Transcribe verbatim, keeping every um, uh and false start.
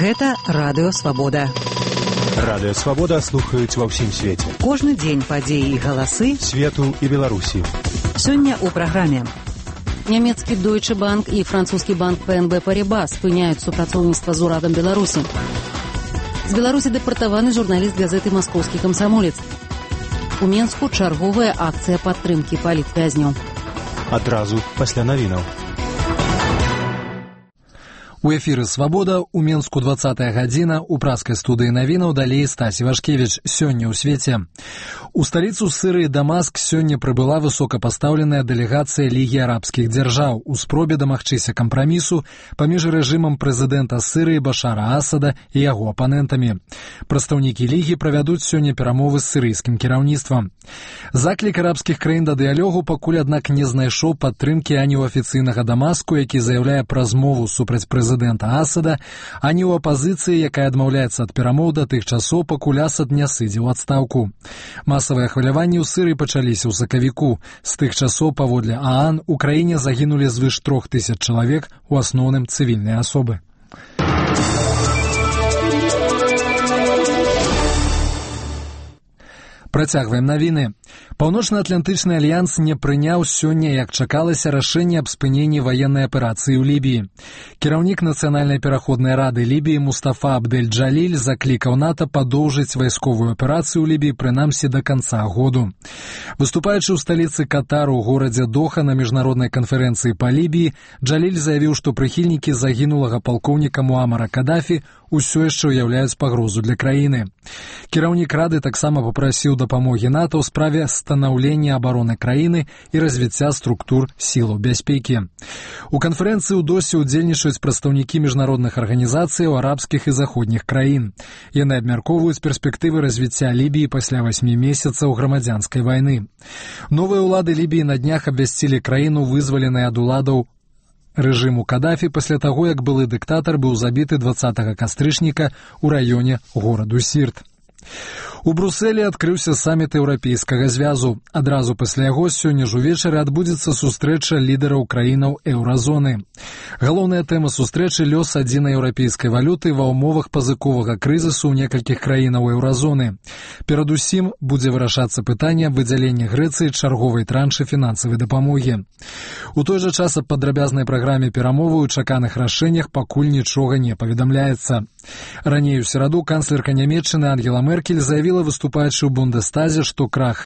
Гэта Радыё Свабода. Радыё Свабода слухаюць ва ўсім свеце. Кожны дзень падзеі і галасы свету і Беларусі. Сёння ў праграме. Нямецкі Deutsche Bank і французскі банк пэ эн бэ Парибас спыняюць супрацоўніцтва з урадам Беларусі. З Беларусі дэпартаваны журналіст газеты «Маскоўскі камсамолец». У Менску чарговая акцыя падтрымкі палітвязняў. Адразу пасля навінаў. У эфіры «Свабода» у Менску двадцатая гадзіна, у праскай студыі навінаў далей Стась Івашкевіч. Сёння ў свеце. У сталіцу Сырыі Дамаск сёння прыбыла высокапастаўленая дэлегацыя Лігі арабскіх дзяржаў у спробе дамагчыся кампрамісу паміж рэжымам прэзідэнта Сырыі Башара Асада і яго апанентамі. Прадстаўнікі Лігі правядуць сёння перамовы з сырыйскім кіраўніцтвам. Заклік арабскіх краін да дыялогу пакуль, аднак, не знайшоў падтрымкі ані ў афіцыйнага Дамаску, які заяўляе пра змову супраць прэзідэнта Асада, ані ў апазіцыі, якая адмаўляецца ад перамоў да тых часоў, пакуль Асад не сыдзе ў адстаўку. Масавыя хваляванні ў Сырыі пачаліся ў сакавіку. З тых часоў, паводле ААН, у краіне загінулі звыш трох тысяч чалавек, у асноўным цывільныя асобы. Працягваем навіны. Паўночна-атлантычны альянс не прыняў сёння, як чакалася, рашэнне аб спыненні ваеннай аперацыі ў Лібіі. Кіраўнік Нацыянальнай пераходнай рады Лібіі Мустафа Абдель-Джаліль заклікаў НАТО падоўжыць вайсковую аперацыю ў Лібіі прынамсі да канца году. Выступаючы ў сталіцы Катару ў горадзе Доха на міжнароднай канферэнцыі па Лібіі, Джаліль заявіў, што прыхільнікі загінулага палкоўніка Муамара Кадафі ўсё яшчэ ўяўляюць пагрозу для краіны. Кіраўнік рады таксама папрасіў дапамогі НАТО ў справе станаўлення абароны краіны і развіцця структур сілаў бяспекі. У канферэнцыі ў Досе ўдзельнічаюць прадстаўнікі міжнародных арганізацый арабскіх і заходніх краін. Яны абмяркоўваюць перспектывы развіцця Лібіі пасля васьмі месяцаў грамадзянскай вайны. Новыя ўлады Лібіі на днях абвясцілі краіну, вызваленай ад уладаў рэжыму Кадафі пасля таго, як былы дыктатар быў забіты дваццатага кастрычніка ў раёне гораду Сірт. У Брусэлі адкрыўся саміт Еўрапейскага звязу. Адразу пасля яго сёння ж увечары адбудзецца сустрэча лідараў краінаў еўразоны. Галоўная тэма сустрэчы — лёс адзінай еўрапейскай валюты ва ўмовах пазыковага крызісу ў некалькіх краінаў еўразоны. Перадусім будзе вырашацца пытанне аб выдзяленні Грэцыі чарговай траншы фінансавай дапамогі. У той жа час аб падрабязнай праграме перамовы ў чаканых рашэннях пакуль нічога не паведамляецца. Раней у сераду канцлерка Нямецчыны Ангела Меркель заявіла, выступаючы ў Бундестазе, што крах